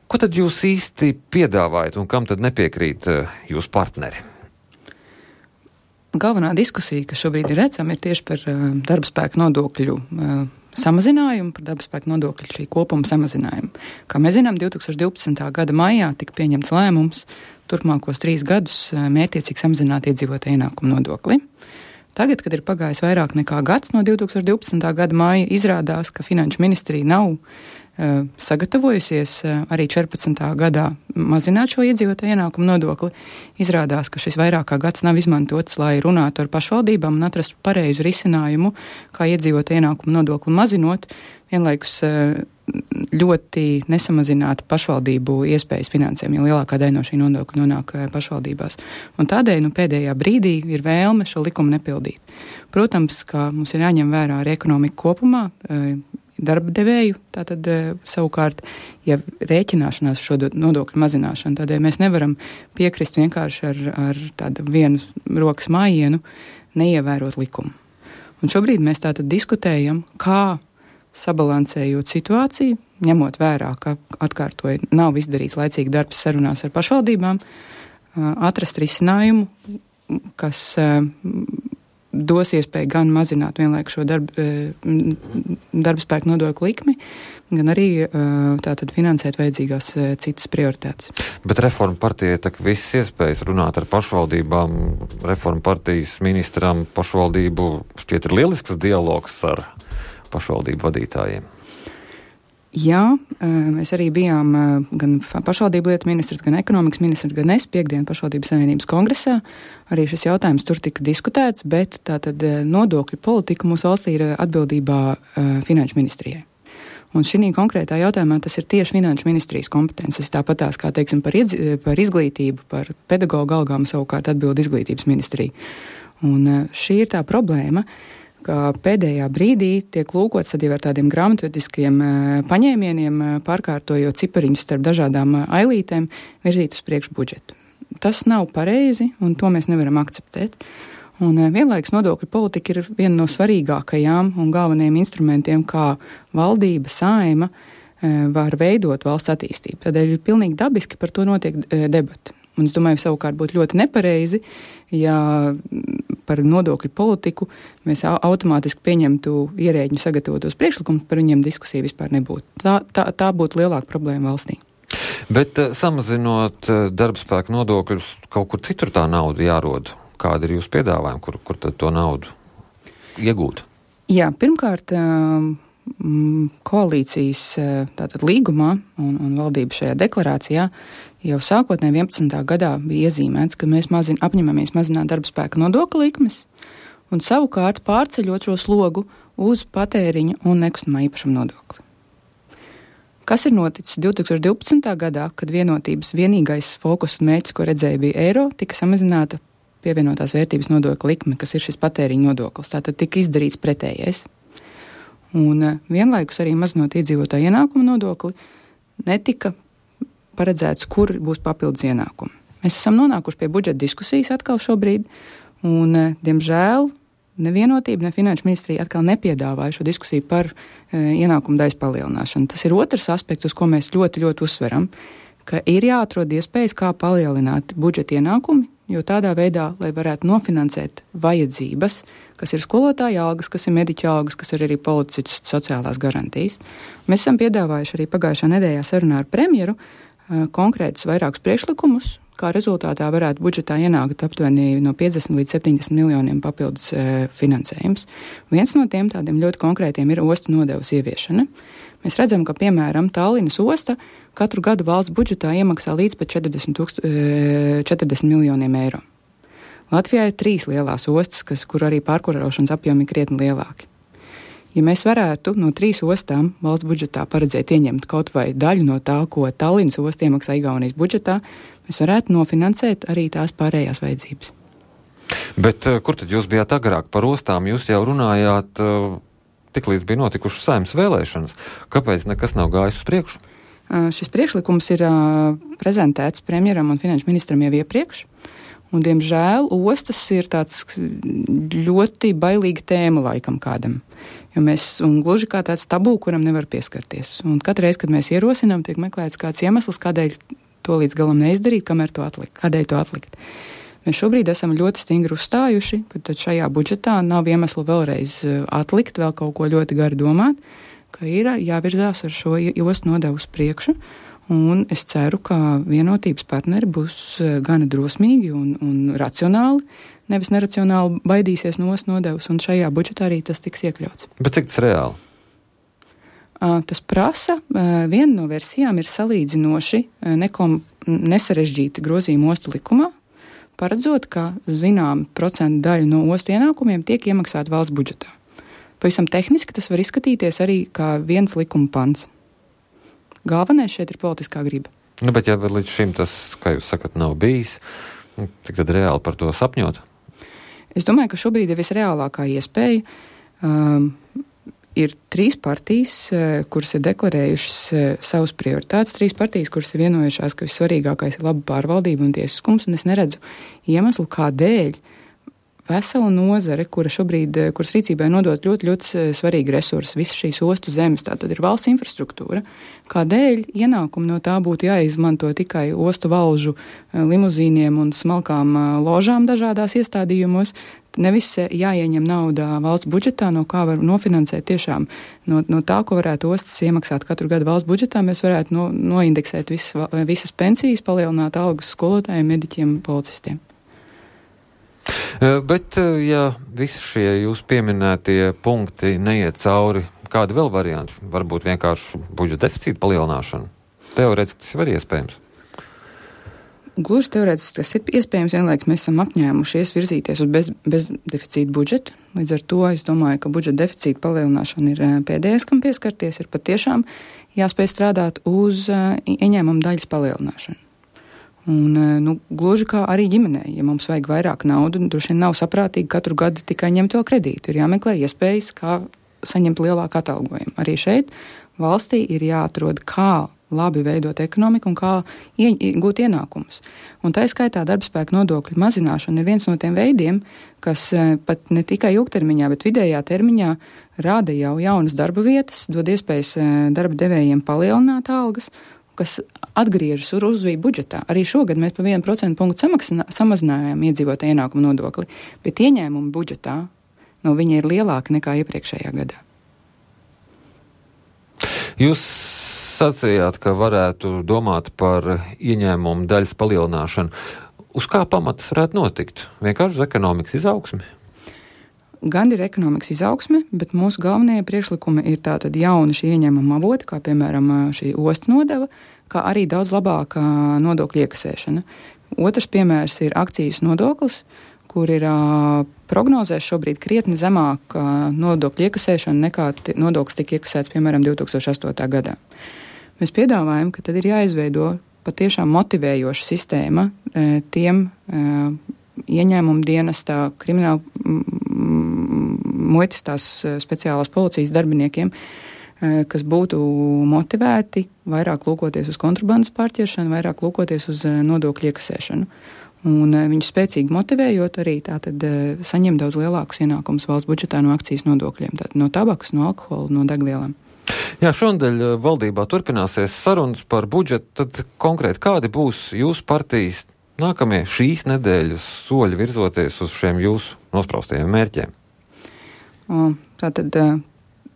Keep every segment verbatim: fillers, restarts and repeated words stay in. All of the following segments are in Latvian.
Ko tad jūs īsti piedāvājat un kam tad nepiekrīt jūsu partneri? Galvenā diskusija, kas šobrīd ir redzama, ir tieši par uh, darba spēka nodokļu uh, samazinājumu, par darba spēka nodokļu šī kopuma samazinājumu. Kā mēs zinām, divtūkstoš divpadsmitā gada maijā tika pieņemts lēmums turpmākos trīs gadus uh, mērķiecīgi samazināt iedzīvotāju ienākumu nodokli. Tagad, kad ir pagājis vairāk nekā gads no divtūkstoš divpadsmitā gada maija, izrādās, ka Finanšu ministrija nav uh, sagatavojusies uh, arī četrpadsmitā gadā mazināt šo iedzīvotāju ienākumu nodokli. Izrādās, ka šis vairāk kā gads nav izmantots, lai runātu ar pašvaldībām un atrastu pareizu risinājumu, kā iedzīvotāju ienākumu nodokli mazinot, vienlaikus uh, ļoti nesamazināt pašvaldību iespējas finansēm, jo lielākā daļa no šī nodokļa nonāk pašvaldībās. Un tādēļ nu, pēdējā brīdī ir vēlme šo likumu nepildīt. Protams, ka mums ir jāņem vērā arī ekonomika kopumā, darba devēju, tātad savukārt, ja rēķināšanās šo nodokļu mazināšanu, tādēļ mēs nevaram piekrist vienkārši ar, ar tādu vienu rokas mājienu neievērot likumu. Un šobrīd mēs tātad diskutējam, kā sabalansējot situāciju, ņemot vērā, ka atkārtoju nav izdarīts laicīgi darbs sarunās ar pašvaldībām, atrast risinājumu, kas dos iespēju gan mazināt vienlaikus šo darba, darba spēku nodokļu likmi, gan arī tātad finansēt vajadzīgās citas prioritātes. Bet Reforma partija tak visas iespējas runāt ar pašvaldībām, Reforma partijas ministram pašvaldību šķiet ir lielisks dialogs ar pašvaldību vadītājiem. Jā, mēs arī bijām gan pašvaldību lietu ministrs, gan ekonomikas ministrs, gan es piekdien pašvaldības savienības kongresā. Arī šis jautājums tur tika diskutēts, bet tātad nodokļu politika mūsu valstī ir atbildībā Finanšu ministrijai. Un šī konkrētā jautājumā tas ir tieši Finanšu ministrijas kompetences, tāpatās kā, teiksim, par, iedz, par izglītību, par pedagoģu algām savukārt atbild izglītības ministrija. Un šī ir tā problēma, ka pēdējā brīdī tiek lūkots tad jau ar tādiem grāmatvediskiem paņēmieniem, pārkārtojot cipariņus starp dažādām ailītēm, virzīt uz priekšu budžetu. Tas nav pareizi, un to mēs nevaram akceptēt. Un vienlaikus nodokļu politika ir viena no svarīgākajām un galvenajiem instrumentiem, kā valdība, saima var veidot valsts attīstību. Tādēļ ir pilnīgi dabiski par to notiek debati. Un es domāju, savukārt būtu ļoti nepareizi, ja par nodokļu politiku mēs automātiski pieņemtu ierēģņu sagatavotos priekšlikumus, par viņiem diskusija vispār nebūtu. Tā, tā, tā būtu lielāka problēma valstī. Bet uh, samazinot uh, darba spēku nodokļus, kaut kur citur tā nauda jārod. Kāda ir jūsu piedāvājuma, kur, kur tad to naudu iegūt? Jā, pirmkārt, uh, koalīcijas tātad līgumā un, un valdība šajā deklarācijā jau sākotnēji vienpadsmitā gadā bija iezīmēts, ka mēs mazin, apņemamies mazināt darba spēka nodokļu likmes un savukārt pārceļot šo slogu uz patēriņa un nekustamā īpašuma nodokli. Kas ir noticis divtūkstoš divpadsmitā gadā, kad vienotības vienīgais fokus un mērķis, ko redzēja, bija eiro, tika samazināta pievienotās vērtības nodokļa likme, kas ir šis patēriņa nodoklis. Tātad tika izdarīts pretējais. Un vienlaikus arī mazinot iedzīvotāju ienākumu nodokli, netika paredzēts, kur būs papildus ienākumi. Mēs esam nonākuši pie budžeta diskusijas atkal šobrīd, un, diemžēl, nevienotība, ne Finanšu ministrija atkal nepiedāvāja šo diskusiju par e, ienākumu daļas palielināšanu. Tas ir otrs aspekts, uz ko mēs ļoti, ļoti uzsveram, ka ir jāatrod iespējas, kā palielināt budžeta ienākumi, jo tādā veidā, lai varētu nofinansēt vajadzības, kas ir skolotāja algas, kas ir mediķa algas, kas ir arī policistu sociālās garantijas. Mēs esam piedāvājuši arī pagājušā nedēļā sarunā ar premjeru uh, konkrētus vairākus priekšlikumus, kā rezultātā varētu budžetā ienākt aptuveni no piecdesmit līdz septiņdesmit miljoniem papildus uh, finansējums. Viens no tiem tādiem ļoti konkrētiem ir ostu nodevas ieviešana. Mēs redzam, ka, piemēram, Tallinas osta katru gadu valsts budžetā iemaksā līdz pat četrdesmit, četrdesmit miljoniem eiro. Latvijā ir trīs lielās ostas, kas, kur arī pārkurošanas apjomi ir krietni lielāki. Ja mēs varētu no trīs ostām valsts budžetā paredzēt ieņemt kaut vai daļu no tā, ko Tallinas osta iemaksā Igaunijas budžetā, mēs varētu nofinansēt arī tās pārējās vajadzības. Bet kur tad jūs bijāt agrāk par ostām? Jūs jau runājāt... Uh... Tik līdz bija notikušas saimnes vēlēšanas. Kāpēc nekas nav gājis uz priekšu? Uh, šis priekšlikums ir uh, prezentēts premjeram un finanšu ministram jau iepriekš. Un, diemžēl, ostas ir tāds ļoti bailīga tēma laikam kādam. Jo mēs, un gluži kā tāds tabū, kuram nevar pieskarties. Un katru reizi, kad mēs ierosinām, tiek meklēts kāds iemesls, kādēļ to līdz galam neizdarīt, kamēr to atlikt, kādēļ to atlikt. Mēs šobrīd esam ļoti stingri uzstājuši, ka tad šajā budžetā nav iemeslu vēlreiz atlikt, vēl kaut ko ļoti gari domāt, ka ir jāvirzās ar šo ostu nodevu uz priekšu, un es ceru, ka vienotības partneri būs gana drosmīgi un, un racionāli, nevis neracionāli baidīsies no ostu nodevas, un šajā budžetā arī tas tiks iekļauts. Bet cik tas reāli? Tas prasa, viena no versijām ir salīdzinoši nekom, nesarežģīta grozījuma ostu likumā, paredzot, ka zinām procentu daļu no ostu ienākumiem tiek iemaksāta valsts budžetā. Pavisam tehniski tas var izskatīties arī kā viens likuma pants. Galvenais šeit ir politiskā griba. Nu, bet ja līdz šim tas, kā jūs sakat, nav bijis, cik tad reāli par to sapņot? Es domāju, ka šobrīd ir visreālākā iespēja. Um, ir trīs partijas, kuras ir deklarējušas savus prioritātes, trīs partijas, kuras ir vienojušās, ka vissvarīgākais ir laba pārvaldība un tiesiskums, un es neredzu iemeslu, kādēļ vesela nozare, kura šobrīd, kuras rīcībai nodot ļoti, ļoti svarīgi resursi, visas šīs ostu zemes, tā tad ir valsts infrastruktūra, kādēļ ienākumi no tā būtu jāizmanto tikai ostu valžu limuzīniem un smalkām ložām dažādās iestādījumos, nevis jāieņem naudā valsts budžetā, no kā var nofinansēt tiešām no, no tā, ko varētu ostas iemaksāt katru gadu valsts budžetā, mēs varētu no, noindeksēt visas, visas pensijas, palielināt algas skolotājiem, mediķiem, policistiem. Bet, ja visi šie jūs pieminētie punkti neiet cauri, kādi vēl varianti? Varbūt vienkārši budžeta deficīta palielināšana? Teorētiski tas var iespējams. Gluži teorētiski tas ir iespējams, vienlaikus mēs esam apņēmušies virzīties uz bez, bezdeficīta budžetu. Līdz ar to es domāju, ka budžeta deficīta palielināšana ir pēdējais, kam pieskarties, ir patiešām jāspēj strādāt uz ieņēmuma daļas palielināšanu. Un, nu, gluži kā arī ģimenei, ja mums vajag vairāk naudu, droši vien nav saprātīgi katru gadu tikai ņemt vēl kredītu. Ir jāmeklē iespējas, kā saņemt lielāku atalgojumu. Arī šeit valstī ir jāatrod, kā labi veidot ekonomiku un kā iegūt ienākumus. Un tā skaitā darbspēka nodokļu mazināšana ir viens no tiem veidiem, kas pat ne tikai ilgtermiņā, bet vidējā termiņā rada jau jaunas darba vietas, dod iespējas darba devējiem palielināt algas, kas atgriežas uz uzvību budžetā. Arī šogad mēs pa vienu procentu punktu samazinājām iedzīvotāju ienākumu nodokli, bet ieņēmumi budžetā no viņa ir lielāki nekā iepriekšējā gadā. Jūs sacījāt, ka varētu domāt par ieņēmumu daļas palielināšanu. Uz kā pamatas varētu notikt? Vienkārši uz ekonomikas izaugsmi? Gan ir ekonomikas izaugsme, bet mūsu galvenie priekšlikumi ir tātad jauni šī ieņēmuma avoti, kā piemēram šī ostu nodeva, kā arī daudz labāka nodokļu iekasēšana. Otrs piemērs ir akcijas nodoklis, kur ir uh, prognozēs šobrīd krietni zemāk uh, nodokļu iekasēšana nekā t- nodoklis tika iekasēts, piemēram, divi tūkstoši astotajā gadā. Mēs piedāvājam, ka tad ir jāizveido patiešām motivējoša sistēma e, tiem e, ieņēmumu dienestā, krimināla muitas tās speciālās policijas darbiniekiem, kas būtu motivēti vairāk lūkoties uz kontrabandas pārķeršanu, vairāk lūkoties uz nodokļu iekasēšanu. Un viņus spēcīgi motivējot arī tātad saņem daudz lielākus ienākumus valsts budžetā no akcijas nodokļiem, tātad no tabakas, no alkohola, no degvielām. Jā, šonadēļ valdībā turpināsies sarunas par budžetu, tad konkrēti kādi būs jūsu partijas nākamie šīs nedēļas soļi virzoties uz šiem jūsu nospraustajiem mērķiem? Tātad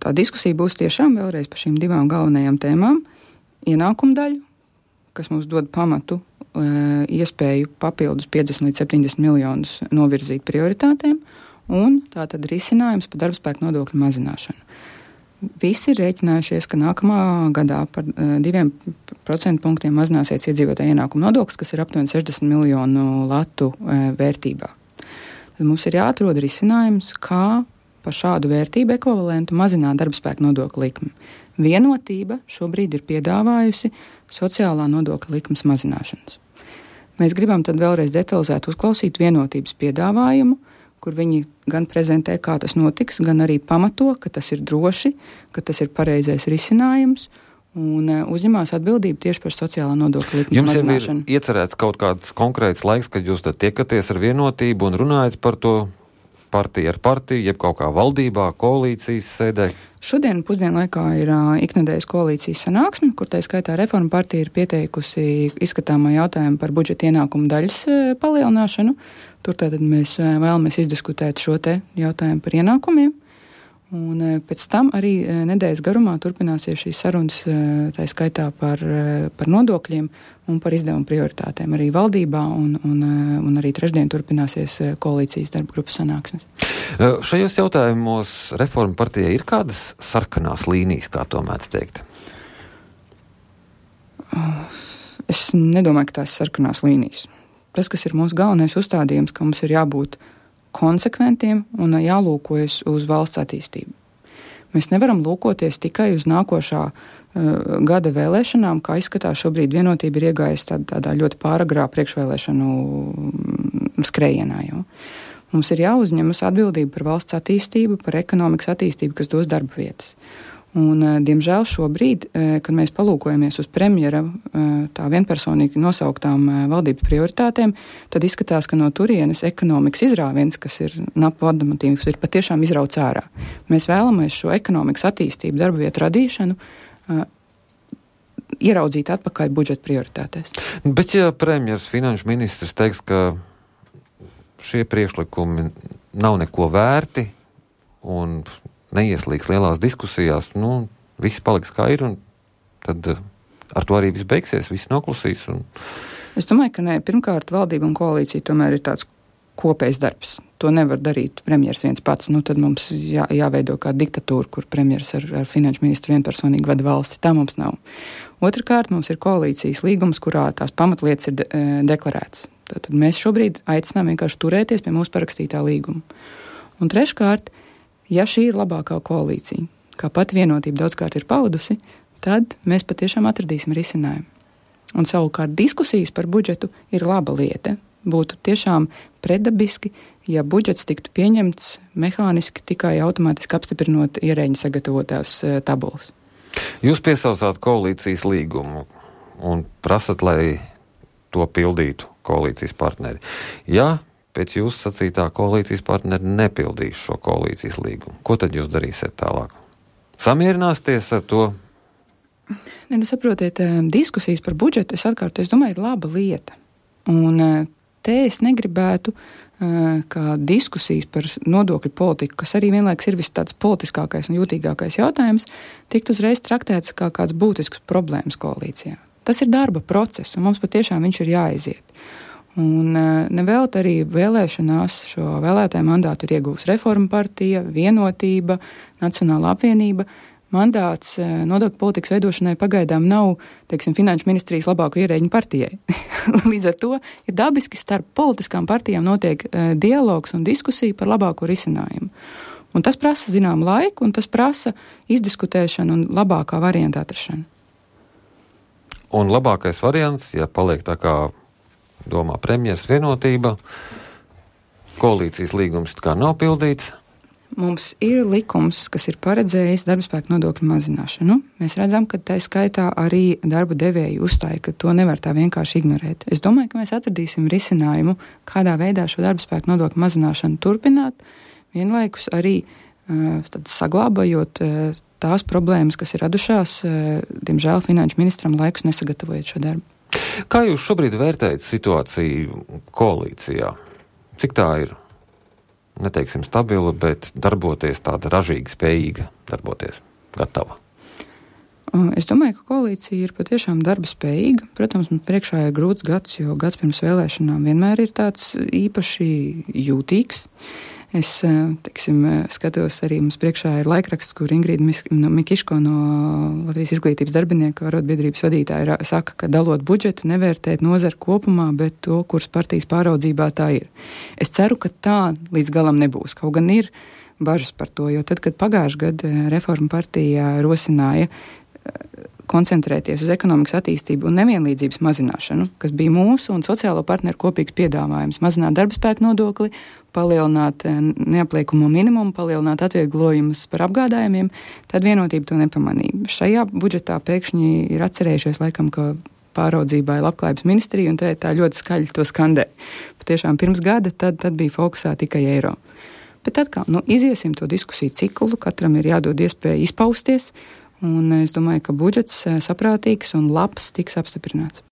tā diskusija būs tiešām vēlreiz par šīm divām galvenajām tēmām. Ienākumu daļu, kas mums dod pamatu, iespēju papildus piecdesmit līdz septiņdesmit miljonus novirzīt prioritātēm, un tātad risinājums par darbspēku nodokļu mazināšanu. Visi ir rēķinājušies, ka nākamā gadā par diviem procentu punktiem mazināsies iedzīvotāju ienākumu nodoklis, kas ir aptuveni sešdesmit miljonu latu vērtībā. Tad mums ir jāatrod risinājums, kā par šādu vērtību ekvivalentu mazināt darbspēku nodokļu likmi. Vienotība šobrīd ir piedāvājusi sociālā nodokļa likmes mazināšanas. Mēs gribam tad vēlreiz detalizēt uzklausīt vienotības piedāvājumu, kur viņi gan prezentē, kā tas notiks, gan arī pamato, ka tas ir droši, ka tas ir pareizais risinājums, un uzņemās atbildību tieši par sociālā nodokļa likmes mazināšanu. Jums ir iecerēts kaut kāds konkrēts laiks, kad jūs tad tiekaties ar Vienotību un runājat par to partiju ar partiju, jeb kaut kā valdībā, koalīcijas sēdē? Šodien pusdienlaikā ir uh, iknedēļas koalīcijas sanāksme, kur tā skaitā Reforma partija ir pieteikusi izskatāmo jautājumu par budžeta ienākumu daļas uh, palielināšanu. Tur tātad mēs uh, vēlamies izdiskutēt šo te jautājumu par ienākumiem. Un pēc tam arī nedēļas garumā turpināsies šīs sarunas, tā skaitā par, par nodokļiem un par izdevumu prioritātēm arī valdībā, un, un, un arī trešdien turpināsies koalīcijas darba grupas sanāksmes. Šajos jautājumos Reforma partijai ir kādas sarkanās līnijas, kā to mēdz teikt? Es nedomāju, ka tās sarkanās līnijas. Tas, kas ir mūsu galvenais uzstādījums, ka mums ir jābūt konsekventiem un jālūkojas uz valsts attīstību. Mēs nevaram lūkoties tikai uz nākošā uh, gada vēlēšanām, kā izskatās šobrīd Vienotība ir iegājusi tād, tādā ļoti pāragrā priekšvēlēšanu skrejienā. Jau. Mums ir jāuzņemas atbildība par valsts attīstību, par ekonomikas attīstību, kas dos darba vietas. Un, diemžēl šobrīd, kad mēs palūkojamies uz premjera tā vienpersonīgi nosauktām valdības prioritātēm, tad izskatās, ka no turienes ekonomikas izrāviens, kas ir napu vadamatīvs, ir patiešām izrauts ārā. Mēs vēlamies šo ekonomikas attīstību, darba vietu radīšanu ieraudzīt atpakaļ budžeta prioritātēs. Bet ja premjers, finanšu ministrs teiks, ka šie priekšlikumi nav neko vērti un neieslīgs lielās diskusijās, nu, viss paliks kā ir, un tad ar to arī viss beigsies, viss noklusīs. Un... Es domāju, ka nē, pirmkārt, valdība un koalīcija tomēr ir tāds kopējs darbs. To nevar darīt premjers viens pats, nu, tad mums jā, jāveido kā diktatūra, kur premjers ar, ar finanšu ministru vienpersonīgi vada valsti. Tā mums nav. Otrakārt, mums ir koalīcijas līgums, kurā tās pamatlietas ir de, deklarētas. Tad mēs šobrīd aicinām vienkārši turēties pie mūsu parakstītā līguma. Un treškārt, ja šī ir labākā koalīcija, kā pati Vienotība daudzkārt ir paudusi, tad mēs patiešām atradīsim risinājumu. Un savukārt diskusijas par budžetu ir laba lieta. Būtu tiešām pretdabiski, ja budžets tiktu pieņemts mehāniski tikai automātiski apstiprinot ierēģi sagatavotās e, tabulas. Jūs piesaucāt koalīcijas līgumu un prasat, lai to pildītu koalīcijas partneri. Ja pēc jūsu sacītā koalīcijas partneri nepildīs šo koalīcijas līgumu, ko tad jūs darīsiet tālāk? Samierināsties ar to? Ne, nu, saprotiet, diskusijas par budžetu, es atkārtoju, es domāju, ir laba lieta. Un te es negribētu, kā diskusijas par nodokļu politiku, kas arī vienlaiks ir viss tāds politiskākais un jūtīgākais jautājums, tikt uzreiz traktēts kā kāds būtisks problēmas koalīcijā. Tas ir darba process, un mums patiešām viņš ir jāaiziet. Un nevēlt arī vēlēšanās šo vēlētāju mandātu ir iegūs Reforma partija, Vienotība, Nacionāla apvienība. Mandāts nodokļu politikas veidošanai pagaidām nav, teiksim, finanšu ministrijas labāko ierēģiņu partijai. Līdz ar to ir dabiski starp politiskām partijām notiek dialogs un diskusija par labāko risinājumu. Un tas prasa zinām laiku, un tas prasa izdiskutēšanu un labākā varianta atrašanu. Un labākais variants, ja paliek tā kā domā premjers Vienotība, koalīcijas līgums kā nav pildīts. Mums ir likums, kas ir paredzējis darbspēku nodokļu mazināšanu. Mēs redzam, ka tā skaitā arī darba devēji uzstāja, ka to nevar tā vienkārši ignorēt. Es domāju, ka mēs atradīsim risinājumu, kādā veidā šo darbspēku nodokļu mazināšanu turpināt, vienlaikus arī uh, tad saglabājot uh, tās problēmas, kas ir radušās, uh, diemžēl finanšu ministram laikus nesagatavojot šo darbu. Kā jūs šobrīd vērtējat situāciju koalīcijā? Cik tā ir, neteiksim, stabila, bet darboties tāda ražīga, spējīga darboties, gatava? Es domāju, ka koalīcija ir patiešām darba spējīga. Protams, mums priekšā ir grūts gads, jo gads pirms vēlēšanām vienmēr ir tāds īpaši jūtīgs. Es, teiksim, skatos arī mums priekšā ir laikraksts, kur Ingrīda Mikiško no Latvijas izglītības darbinieku arotbiedrības vadītāja saka, ka dalot budžetu nevērtēt nozaru kopumā, bet to, kuras partijas pāraudzībā tā ir. Es ceru, ka tā līdz galam nebūs. Kaut gan ir bažas par to, jo tad, kad pagājušajā gadā Reforma partija rosināja koncentrēties uz ekonomikas attīstību un nevienlīdzības mazināšanu, kas bija mūsu un sociālo partneru kopīgs piedāvājums, mazināt darbspēku nodokli, palielināt neapliekumu minimumu, palielināt atvieglojumus par apgādājumiem, tad Vienotība to nepamanīja. Šajā budžetā pēkšņi ir atcerējušies laikam, ka pāraudzībā ir labklājības ministrija, un tā, tā ļoti skaļi to skandē. Patiešām pirms gada tad, tad bija fokusā tikai eiro. Bet atkal, nu, iziesim to diskusiju ciklu, katram ir jādod iespēja izpausties, un es domāju, ka budžets saprātīgs un labs tiks apstiprināts.